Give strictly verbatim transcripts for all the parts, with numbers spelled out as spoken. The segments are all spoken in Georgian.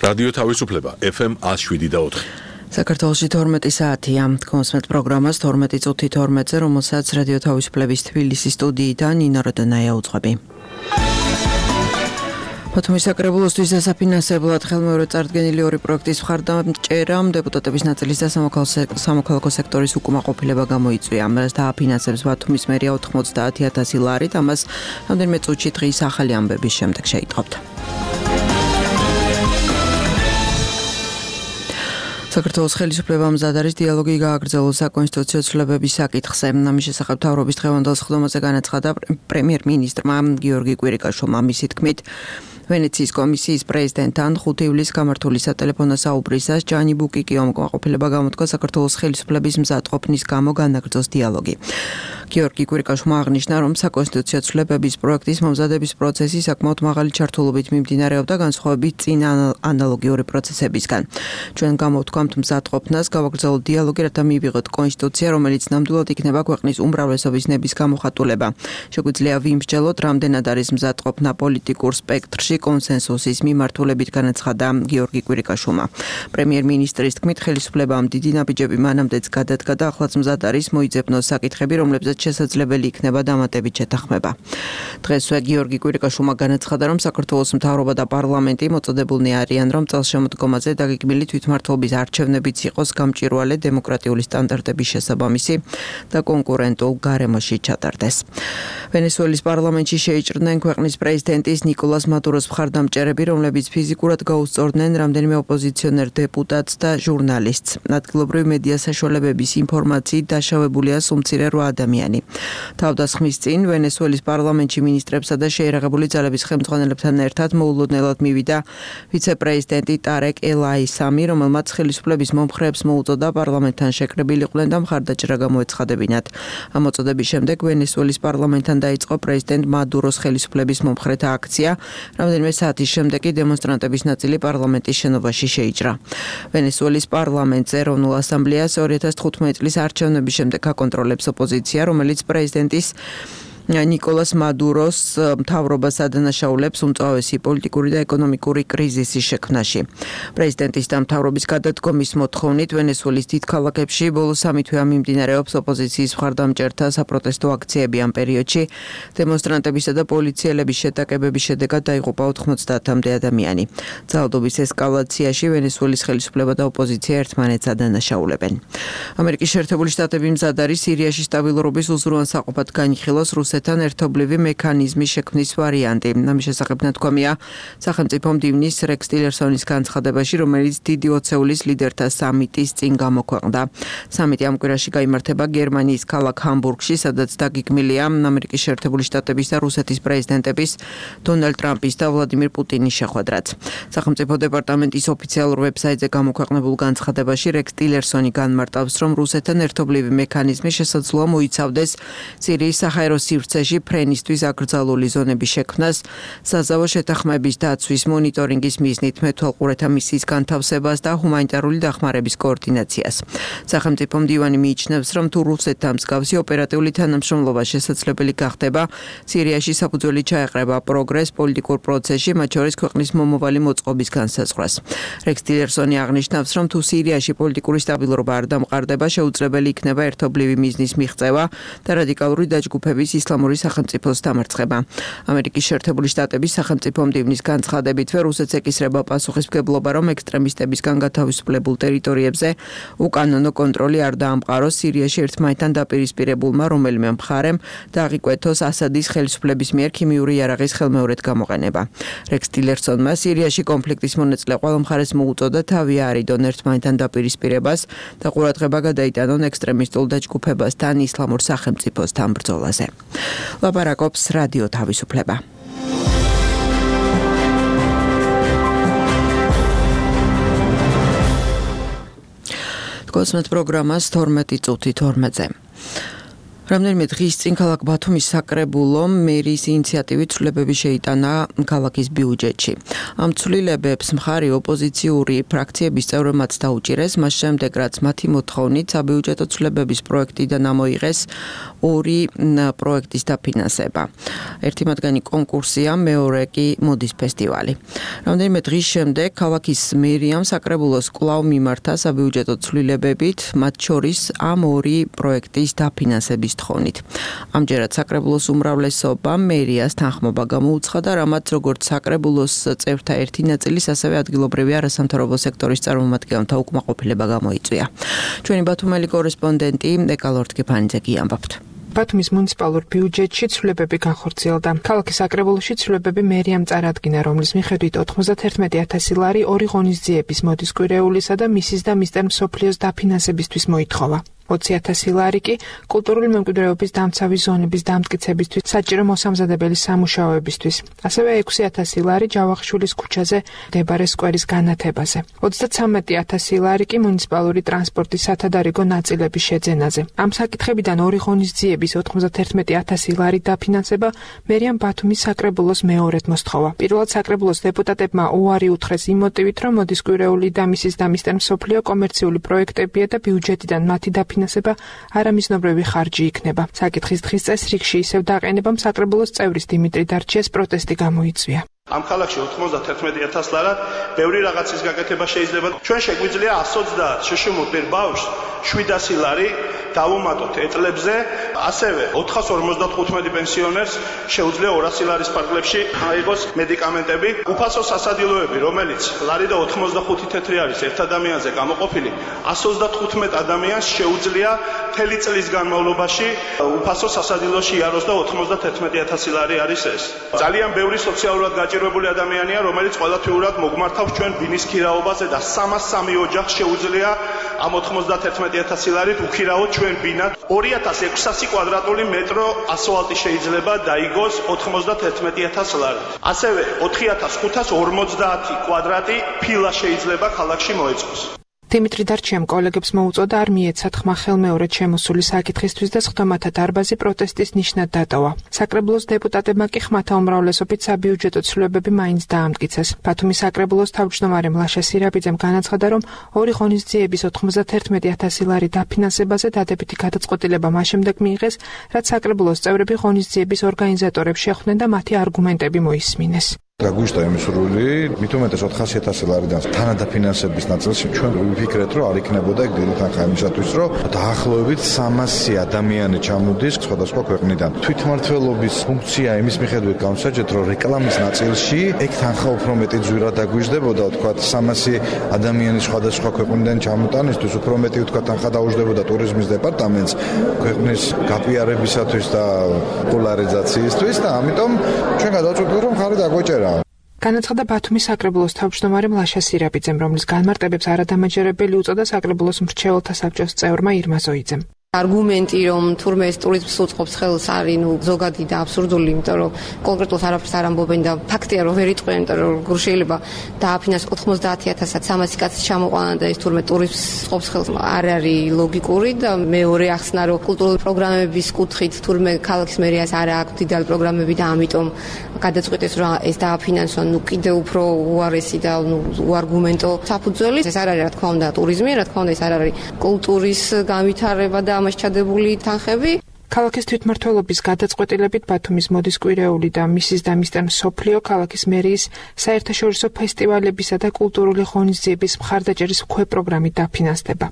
რადიო თავისუფლება ეფ ემ ათს შვიდი და ოთხი. საქართველოში თორმეტი საათია. კონსმეთ პროგრამას თორმეტი წუთი თორმეტზე, რომელსაც რადიო თავისუფლების თბილისის სტუდიიდან ნინო როდონაია უძღვები. ბათუმის საკრებულოსთვის დასაფინანსებლად ხელმეორედ წარდგენილი ორი პროექტის მხარდამჭერამ დეპუტატების ნაწილის და სამოქალაქო სექტორის უკმაყოფილება გამოიწვია. მას დააფინანსებს ბათუმის მერია ოთხმოცდაათი ათასი ლარით, ამას რამდენიმე წუთში დღის ახალი ამბების შემდეგ შეიტყობთ. საქართველოს ხელისუფლებამ მზად არის დიალოგი გააგრძელოს საკონსტიტუციო ცვლილებების საკითხზე. ამის შესახებ მთავრობის დღევანდელ სხდომაზე განაცხადა პრემიერ-მინისტრმა გიორგი კვირიკაშვილმა. მისი თქმით, ვენეციის კომისიის პრეზიდენტთან ხუთი ივლისს გამართული სატელეფონო საუბრისას ჯანი ბუკიკიომ უკმაყოფილება გამოთქვა საქართველოს ხელისუფლების მზადყოფნის გამო განაგრძოს დიალოგი. გიორგი კვირიკაშვილმა აღნიშნა, რომ საკონსტიტუციო ცვლილებების პროექტის მომზადების პროცესი საკმაოდ მაღალი ჩართულობით მიმდინარეობდა განსხვავებით წინა ანალოგიური პროცესებისგან. ჩვენ გამოვთქვამთ მზადყოფნას, გავაგრძელოთ დიალოგი, რათა მივიღოთ კონსტიტუცია, რომელიც ნამდვილად იქნება ქვეყნის უმრავლესობის ნების გამოხატულება. შეგვიძლია ვიმსჯელოთ, რამდენად არის მზადყოფნა პოლიტიკურ სპექტრში კონსენსუსის მიმართულებით, განაცხადა გიორგი კვირიკაშვილმა. პრემიერ-მინისტრის თქმით, ხელისუფლებამ დიდი ნაბიჯები მანამდეც გადადგა და ახლაც მზად არის მოიძებნოს საკითხები, რომლებზეც შესაძლებელი იქნება დამატებით შეთანხმება. დღესვე გიორგი კვირიკაშვილმა განაცხადა, რომ საქართველოს მთავრობა და პარლამენტი მოწოდებულნი არიან, რომ წელშემოდგომაზე დაგეგმილი თვითმმართველობის არჩევნებიც იყოს გამჭვირვალე დემოკრატიული სტანდარტების შესაბამისი და კონკურენტულ გარემოში ჩატარდეს. ვენესუელის პარლამენტში შეიჭრნენ ქვეყნის პრეზიდენტის ნიკოლას მადუროს მხარდამჭერები, რომლებიც ფიზიკურად გაუსწორდნენ რამდენიმე ოპოზიციონერ დეპუტატს და ჟურნალისტს. ადგილობრივი მედია საშუალებების ინფორმაციით დაშავებულია სულ მცირე რვა ადამიანი. თავდასხმის წინ ვენესუელის პარლამენტში მინისტრებსა და შეიარაღებული ძალების ხელმძღვანელებთან ერთად მოულოდნელად მივიდა ვიცე-პრეზიდენტი ტარეკ ელ-აისამი, რომელმაც ხელისუფლების მომხრეებს მოუწოდა პარლამენტთან შეკრებილიყვნენ და მხარდაჭერა გამოეცხადებინათ. ამ მოწოდების შემდეგ ვენესუელის პარლამენტთან დაიწყო პრეზიდენტ მადუროს ხელისუფლების მომხრეთა აქცია. რამდენიმე საათის შემდეგ კი დემონსტრანტების ნაწილი პარლამენტის შენობაში შეიჭრა. ვენესუელის პარლამენტზე ეროვნულ ასამბლეას ორი ათას თხუთმეტი წლის არჩევნების შემდეგ აკონტროლებს ოპოზიცია, რომელიც პრეზიდენტის ნიკოლას მადუროს მთავრობას ადანაშაულებს უმწვავესი პოლიტიკური და ეკონომიკური კრიზისის შექმნაში. პრეზიდენტის და მთავრობის გადადგომის მოთხოვნით ვენესუელის დიდ ქალაქებში ბოლო სამი თვეა მიმდინარეობს ოპოზიციის მხარდამჭერთა საპროტესტო აქციები. ამ პერიოდში დემონსტრანტებისა და პოლიციელების შეტაკებების შედეგად დაიღუპა ოთხმოცდაათამდე ადამიანი. ძალადობის ესკალაციაში ვენესუელის ხელისუფლება და ოპოზიცია ერთმანეთს ადანაშაულებენ. ამერიკის შეერთებული შტატები მზად არის სირიაში სტაბილურობის უზრუნველსაყოფად განიხილოს რუსეთთან ერთობლივი მექანიზმის შექმნის ვარიანტი. ამის შესახებ ნათქვამია სახელმწიფო მდივნის რექს ტილერსონის განცხადებაში, რომელიც დიდი ოცეულის ლიდერთა სამიტის წინ გამოქვეყნდა. სამიტი ამ კვირაში გაიმართება გერმანიის ქალაქ ჰამბურგში, სადაც დაგეგმილია ამერიკის შეერთებული შტატების და რუსეთის პრეზიდენტების დონალდ ტრამპის და ვლადიმირ პუტინის შეხვედრაც. სახელმწიფო დეპარტამენტის ოფიციალურ ვებსაიტზე გამოქვეყნებულ განცხადებაში რექს ტილერსონი განმარტავს, რომ რუსეთთან ერთობლივი მექანიზმი შესაძლოა მოიცავდეს სირიის საჰაერო სივრცეში ფრენისთვის აკრძალული ზონების შექმნას, საზავო შეთანხმების დაცვის მონიტორინგის მიზნით მეთვალყურეთა მისიის განთავსებას და ჰუმანიტარული დახმარების კოორდინაციას. სახელმწიფო მდივანი მიიჩნევს, რომ თუ რუსეთთან მსგავსი ოპერატიული თანამშრომლობა შესაძლებელი გახდება, სირიაში საფუძველი ჩაეყრება პროგრესს პოლიტიკურ პროცესში, მათ შორის ქვეყნის მომავალი მოწყობის განსაზღვრას. რექს ტილერსონი აღნიშნავს, რომ თუ სირიაში პოლიტიკური სტაბილურობა არ დამყარდება, შეუძლებელი იქნება ერთობლივი მიზნის მიღწევა და რადიკალური დაჯგუფების ისლამური სახელმწიფოს დამარცხება. ამერიკის შეერთებული შტატების სახელმწიფო მდივნის განცხადებითვე რუსეთს ეკისრება პასუხისმგებლობა, რომ ექსტრემისტებისგან გათავისუფლებულ ტერიტორიებზე უკანონო კონტროლი არ დაამყაროს სირიაში ერთმანეთთან დაპირისპირებულმა რომელიმე მხარემ და აღიკვეთოს ასადის ხელისუფლების მიერ ქიმიური იარაღის ხელმეორედ გამოყენება. რექს ტილერსონმა სირიაში კონფლიქტის მონაწილე ყველა მხარეს მოუწოდა თავი არიდონ ერთმანეთთან დაპირისპირებას და ყურადღება გადაიტანონ ექსტრემისტულ დაჯგუფებასთან ისლამურ სახელმწიფოსთან ბრძოლაზე. ლაპარაკობს რადიო თავისუფლება. კონსმეთ პროგრამას თორმეტი წუთი თორმეტზე. რამდენიმე დღის წინ ქალაქ ბათუმის საკრებულომ მერის ინიციატივით ცვლილებები შეიტანა ქალაქის ბიუჯეტში. ამ ცვლილებებს მხარი ოპოზიციური ფრაქციების წევრებმაც დაუჭირეს, მას შემდეგ რაც მათი მოთხოვნით საბიუჯეტო ცვლილებების პროექტიდან ამოიღეს ორი პროექტის დაფინანსება. ერთი მათგანი კონკურსია, მეორე კი მოდის ფესტივალი. რამდენიმე დღის შემდეგ ქალაქის მერიამ საკრებულოს კვლავ მიმართა საბიუჯეტო ცვლილებებით, მათ შორის ამ ორი პროექტის დაფინანსების თხოვნით. ამჯერად საკრებულოს უმრავლესობა მერიას თანხმობა გამოუცხადა, რამაც როგორც საკრებულოს წევრთა ერთი ნაწილის, ასევე ადგილობრივი არასამთავრობო სექტორის წარმომადგენელთა უკმაყოფილება გამოიწვია. ჩვენი ბათუმელი კორესპონდენტი ეკალორთკიფანიძე გიამბობთ. ბათუმის მუნიციპალურ ბიუჯეტში ცვლილებები განხორციელდა. ქალაქის საკრებულოში ცვლილებები მერიამ წარადგინა, რომლის მიხედვით ოთხმოცდათერთმეტი ათასი ლარი ორი ღონისძიების მოდის კვირეულისა და მისის და მისტერ მსოფლიოს დაფინანსებისთვის მოითხოვა. ოცი ათასი ლარი კი კულტურული მემკვიდრეობის დამცავი ზონების დამტკიცებისთვის, საჭირო მოსამზადებელი სამუშაოებისთვის. ასევე ექვსი ათასი ლარი ჯავახიშვილის ქუჩაზე მდებარე სკვერის განათებაზე. ოცდაცამეტი ათასი ლარი კი მუნიციპალური ტრანსპორტის სათადარიგო ნაწილების შეძენაზე. ამ საკითხებიდან ორი ღონისძიების ოთხმოცდათერთმეტი ათასი ლარი დაფინანსება მერიამ ბათუმის საკრებულოს მეორედ მოსთხოვა. პირველად საკრებულოს დეპუტატებმა უარი უთხრეს იმ მოტივით, რომ მოდის კვირეული და მისის და მისტერ მსოფლიო კომერციული პროექტებია და ბიუჯეტიდან მათი დაფინანსება არამიზნობრივი ხარჯი იქნება. საკითხის დღის წესრიგში ისევ დაყენებამ საკრებულოს წევრის დიმიტრი დარჩიას პროტესტი გამოიწვია. ამ ქალაქში ოთხმოცდათერთმეტი ათასი ლარად ბევრი რაღაცის გაკეთება შეიძლება. ჩვენ შეგვიძლია ასი ოცდაათ შშმ პერ ბავშვს შვიდასი ლარი დავუმატოთ ეტლებზე, ასევე ოთხას ორმოცდათხუთმეტი პენსიონერს შეუძლია ორასი ლარის ფარგლებში აიღოს მედიკამენტები. უფასო სასადილოები, რომელიც ლარი და ოთხმოცდახუთი თეთრი არის ერთ ადამიანზე გამოყოფილი, ასი ოცდათხუთმეტ ადამიანს შეუძლია მთელი წლის განმავლობაში უფასო სასადილოში იაროს და ოთხმოცდათერთმეტი ათასი ლარი არის ეს. ძალიან ბევრი სოციალურად გაჭირვებული ადამიანია, რომელიც ყოველთვიურად მოგმართავს ჩვენ ბინის ქირაობაზე და სამას სამი ოჯახს შეუძლია ამ ოთხმოცდათერთმეტი ათასი ლარით უქირაოთ ჩვენ ბინად. ორი ათას ექვსასი კვადრატული მეტრო ასფალტი შეიძლება დაიგოს ოთხმოცდათერთმეტი ათასი ლარით. ასევე ოთხი ათას ხუთას ორმოცდაათი კვადრატი ფილა შეიძლება ქალაქში მოეწყოს. დიმიტრი დარჩიამ კოლეგებს მოუწოდა არ მიეცათ ხმა ხელმეორედ შემოსული საკითხისთვის და სხდომათა დარბაზი პროტესტის ნიშნად დატოვა. საკრებულოს დეპუტატებმა კი ხმათა უმრავლესობით საბიუჯეტო ცვლილებები მაინც დაამტკიცეს. ბათუმის საკრებულოს თავმჯდომარე მლაშა სირაბიძემ განაცხადა, რომ ორი ღონისძიების ოთხმოცდათერთმეტი ათასი ლარი დაფინანსებაზე დადებითი გადაწყვეტილება მას შემდეგ მიიღეს, რაც საკრებულოს წევრები ღონისძიების ორგანიზატორებს შეხვდნენ და მათი არგუმენტები მოისმინეს. გაგვიშთა იმის სრული, მით უმეტეს ოთხასი ათასი ლარიდან თანადაფინანსების ნაწილში ჩვენ ვიფიქრეთ, რომ არ იქნებოდა ეგ დიდი თანხა იმისათვის, რომ დაახლოებით სამასი ადამიანი ჩამოდის სხვადასხვა ქვეყნიდან. თვითმმართველობის ფუნქცია იმის მიხედვით გამოსაჯეთ, რომ რეკლამის ნაწილში ეგ თანხა უფრო მეტი ძვირად დაგვიждდებოდა, თქვათ სამასი ადამიანის სხვადასხვა ქვეყნიდან ჩამოტანისთვის უფრო მეტი თქვათ თანხა დაუждდებოდა ტურიზმის დეპარტამენტს ქვეყნის გაპიარებისათვის და პოლარიზაციისთვის და ამიტომ ჩვენ გადავწყვეტილ, რომ ხარი დაგვეჭერა. განაცხადა ბათუმის საკრებულოს თავმჯდომარე მლაშა სირაბიძემ, რომლის განმარტებებს არადამაჯერებელი უწოდა საკრებულოს მრჩეველთა საბჭოს წევრმა ირმა ზოიძემ. არგუმენტი, რომ თურმე ეს ტურიზმს უწყობს ხელს, არის ნუ ზოგადი და აბსურდული, იმიტომ რომ კონკრეტულად არაფერს არ ამბობენ და ფაქტია, რომ ვერ იტყვიან, იმიტომ რომ როგორ შეიძლება დააფინანსოს ოთხმოცდაათი ათასად სამასი კაცის ჩამოყვანა და ეს თურმე ტურიზმს უწყობს ხელს, არ არის ლოგიკური და მეორე ახსნა, რომ კულტურული პროგრამების კუთხით თურმე ქალაქის მერიას არ აქვს დიდალი პროგრამები და ამიტომ გადაწყვეტეს, რომ ეს დააფინანსონ, ნუ კიდევ უფრო უარესი და ნუ უარგუმენტო საფუძველი. ეს არ არის, რა თქმა უნდა, ტურიზმი, რა თქმა უნდა, ეს არ არის კულტურის განვითარება და ამას ჩადებული თანხები. ქალაქის თვითმმართველობის გადაწყვეტილებით ბათუმის მოდის კვირეული და მისის და მისტერ მსოფლიო ქალაქის მერიის საერთაშორისო ფესტივალებისა და კულტურული ღონისძიების მხარდაჭერის ქვეპროგრამით დაფინანსდება.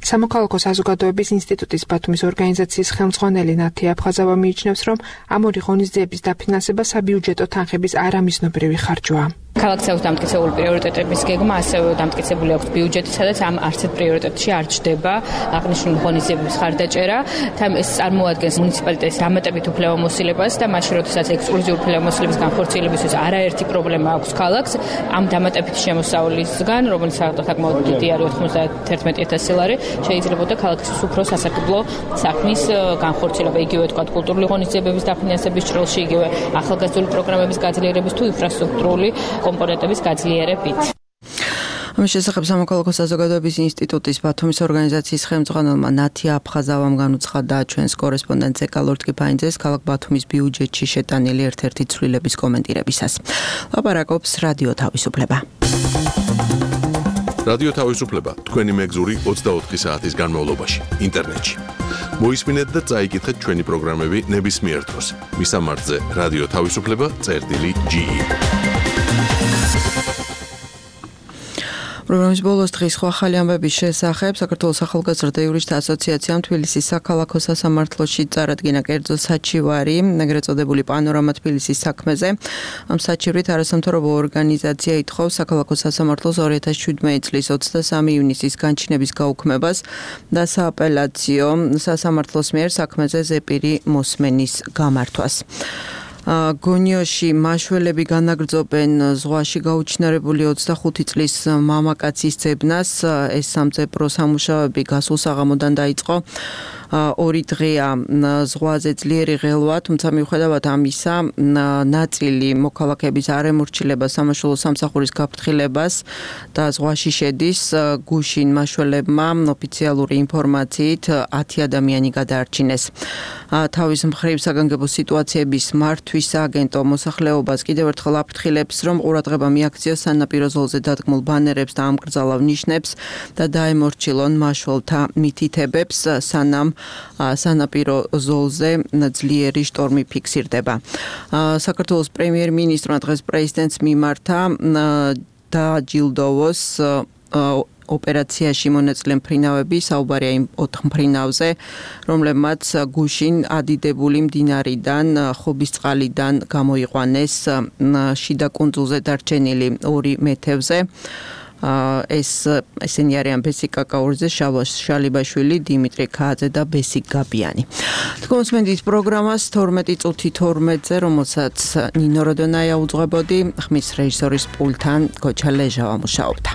სამოქალაქო საზოგადოების ინსტიტუტის ბათუმის ორგანიზაციის ხელმძღვანელი ნათი აფხაზავა მიიჩნევს, რომ ამ ორი ღონისძიების დაფინანსება საბიუჯეტო თანხების არამიზნობრივი ხარჯვაა. ქალაქს აქვს დამტკიცებული პრიორიტეტების გეგმა, ასევე დამტკიცებული აქვს ბიუჯეტი, სადაც ამ არცერთ პრიორიტეტში არ ჩდება აღნიშნული ღონისძიების ხარდაჭერა. თან ეს წარმოადგენს მუნიციპალიტეტის დამატებით უფლებამოსილებას და მაშინ, როდესაც ექსკლუზიური უფლებამოსილების განხორციელებისთვის არაერთი პრობლემა აქვს ქალაქს, ამ დამატებითი შემოსავლისგან, რომელიც საკმაოდ დიდი არის ოთხმოცდათერთმეტი ათასი ლარი, შეიძლებოდა ქალაქისთვის უფრო სასარგებლო საქმის განხორციელება, იგივე თქვა კულტურული ღონისძიებების დაფინანსების ჭრილში, იგივე ახალგაზრდული პროგრამების გაძლიერების თუ ინფრასტრუქტურული კომპონენტების გაძლიერებით. ამის შესახებ სამოქალაქო საზოგადოების ინსტიტუტის ბათუმის ორგანიზაციის ხელმძღვანელმა ნათია აფხაზავამ განუცხადა ჩვენს კორესპონდენტ ზეკალორ ტკიფაინძეს ქალაქ ბათუმის ბიუჯეტში შეტანილი ერთ-ერთი ცვლილების კომენტირებისას. ლაპარაკობს რადიო თავისუფლება. რადიო თავისუფლება თქვენი მეგზური ოცდაოთხი საათის განმავლობაში ინტერნეტში. მოისმინეთ და წაიკითხეთ ჩვენი პროგრამები ნებისმიერ დროს. მისამართზე რადიო თავისუფლება წერტილი ჯი ი. პროგრამის ბოლოს დღის სხვა ახალი ამბების შესახებ საქართველოს ახალგაზრდა იურისტთა ასოციაციამ თბილისის საქალაქო სასამართლოში წარადგინა კერძო საჩივარი, ეგრეთ წოდებული პანორამა თბილისის საქმეზე. ამ საჩივრით არასამთავრობო ორგანიზაცია ითხოვს საქალაქო სასამართლოს ორი ათას შვიდმეტი წლის ოცდასამი ივნისის განჩინების გაუქმებას და სააპელაციო სასამართლოს მიერ საქმეზე ზეპირი მოსმენის გამართვას. გონიოში მაშველები განაგრძობენ ზღვაში გაუჩინარებული ოცდახუთი წლის მამაკაცის ძებნას. ეს სამწებრო სამუშაოები გასულ საღამოდან დაიწყო. ორი დღეა ზღვაზე ძლიერი ღელვა, თუმცა მიუხედავად ამისა, ნაწილი მოქალაქეების არ ემორჩილება სამაშველო სამსახურის გაფრთხილებას და ზღვაში შედის. გუშინ მაშველებმა ოფიციალური ინფორმაციით ათი ადამიანი გადაარჩინეს. თავის მხრივ საგანგებო სიტუაციების მართვის სააგენტო მოსახლეობას კიდევ ერთხელ აფრთხილებს, რომ ყურადღება მიაქციოს სანაპირო ზოლზე დადგმულ ბანერებს და ამკრძალავ ნიშნებს და დაემორჩილონ მაშველთა მითითებებს, სანამ სანაპირო ზოლზე ძლიერი შტორმი ფიქსირდება. საქართველოს პრემიერ-მინისტრმა დღეს პრეზიდენტს მიმართა დააჯილდოვოს ოპერაციაში მონაწილე მფრინავები, საუბარია იმ ოთხ მფრინავზე, რომლებმაც გუშინ ადიდებული მდინარიდან, ხობისწყალიდან გამოიყვანეს შიდა კუნძულზე დარჩენილი ორი მეთევზე. ეს ესენი არიან ბესიკ კაკაურიძე, შალვა შალიბაშვილი, დიმიტრი ქააძე და ბესიკ გაბიანი. თქვენს პროგრამას თორმეტი წუთი თორმეტზე, რომელსაც ნინო როდონაია უძღვებოდი, ხმის რეჟისორის პულთან გოჩა ლეჟავა მუშაობდა.